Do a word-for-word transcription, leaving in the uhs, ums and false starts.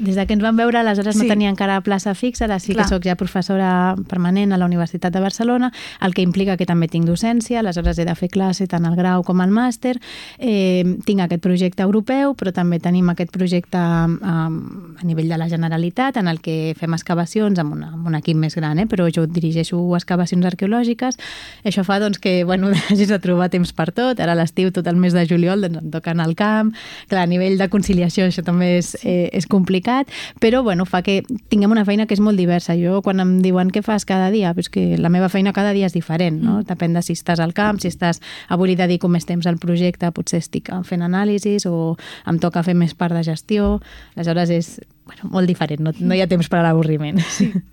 des de que ens vam veure, aleshores Sí. no tenia encara plaça fixa, ara sí Clar. que sóc ja professora permanent a la Universitat de Barcelona, el que implica que també tinc docència, aleshores he de fer classe tant al grau com al màster. Eh, tinc aquest projecte europeu, però també tenim aquest projecte eh, a nivell de la Generalitat, en el que fem excavacions amb, una, amb un equip més gran, eh? Però jo dirigeixo excavacions arqueològiques. Això fa doncs, que bueno, hagis de trobar temps per tot. Ara a l'estiu, tot el mes de juliol, doncs, em toca anar al camp. Clar, a nivell de conciliació això també és, eh, és complicat, però bueno, fa que tinguem una feina que és molt diversa. Jo, quan em diuen què fas cada dia, pues que la meva feina cada dia és diferent, no? Depèn de si estàs al camp, si estàs... Avui li dedico més temps al projecte, potser estic fent anàlisis o em toca fer més part de gestió. Aleshores és bueno, molt diferent, no, no hi ha temps per a l'avorriment. Sí.